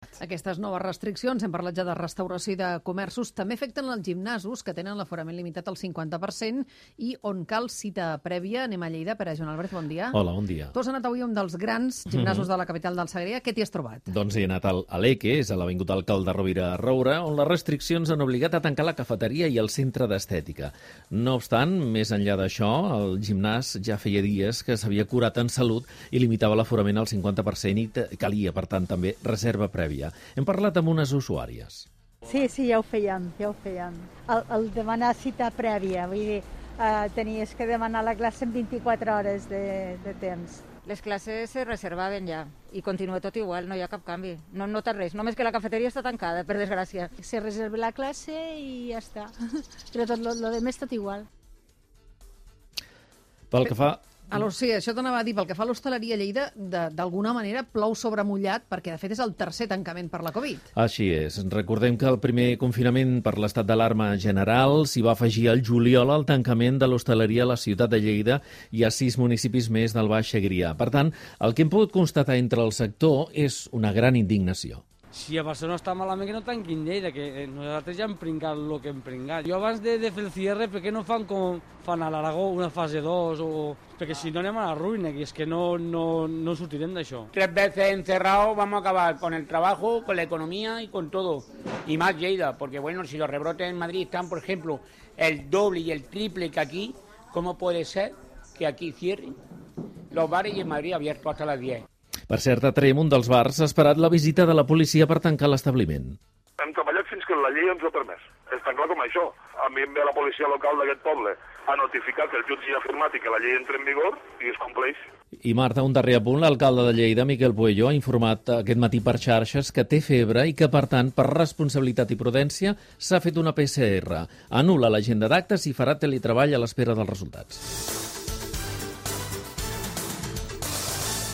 Aquestes noves restriccions, hem parlat ja de restauració i de comerços, també afecten els gimnasos que tenen l'aforament limitat al 50% i on cal cita prèvia. Anem a Lleida. Pere Joan Albert, bon dia. Hola, bon dia. Tu has anat avui a un dels grans gimnasos de la capital del Segrià. Què t'hi has trobat? Doncs he anat a l'Eque, és a l'Avinguda Alcalde Rovira a Roure, on les restriccions han obligat a tancar la cafeteria i el centre d'estètica. No obstant, més enllà d'això, el gimnàs ja feia dies que s'havia curat en salut i limitava l'aforament al 50% i calia, per tant, també reserva prèvia. Hem parlat amb unes usuàries. Sí, ja ho fèiem. El demanar cita prèvia, vull dir, tenies que demanar la classe en 24 hores de temps. Les classes se reservaven ja i continua tot igual, no hi ha cap canvi. No nota res, només que la cafeteria està tancada, per desgràcia. Se reserva la classe i ja està. Però tot lo demés tot igual. Pel que fa... Sí, això t'anava a dir, pel que fa a l'hostaleria a Lleida, d'alguna manera plou sobre mullat, perquè de fet és el tercer tancament per la Covid. Així és. Recordem que el primer confinament per l'estat d'alarma general s'hi va afegir al juliol el tancament de l'hostaleria a la ciutat de Lleida i a 6 municipis més del Baix Segrià. Per tant, el que hem pogut constatar entre el sector és una gran indignació. Si a Barcelona està malament que no tanquin Lleida, que nosaltres ja hem pringat el que hem pringat. Jo abans de fer el cierre, per què no fan com fan a l'Aragó, una fase 2? Perquè si no anem a la ruïna, que és que no sortirem d'això. 3 veces encerrados vamos a acabar con el trabajo, con la economía y con todo. Y más Lleida, porque bueno, si los rebrotes en Madrid están, por ejemplo, el doble y el triple que aquí, ¿cómo puede ser que aquí cierren los bares y en Madrid abiertos hasta las 10? Per cert, a Trem, un dels bars ha esperat la visita de la policia per tancar l'establiment. Hem treballat fins que la llei ens ho ha permès. És tan clar com això. A mi em ve la policia local d'aquest poble a notificar que el jutge ja ha afirmat i que la llei entra en vigor i es compleix. I Marta, un darrer apunt, l'alcalde de Lleida, Miquel Puello, ha informat aquest matí per xarxes que té febre i que, per tant, per responsabilitat i prudència, s'ha fet una PCR. Anul·la l'agenda d'actes i farà teletreball a l'espera dels resultats.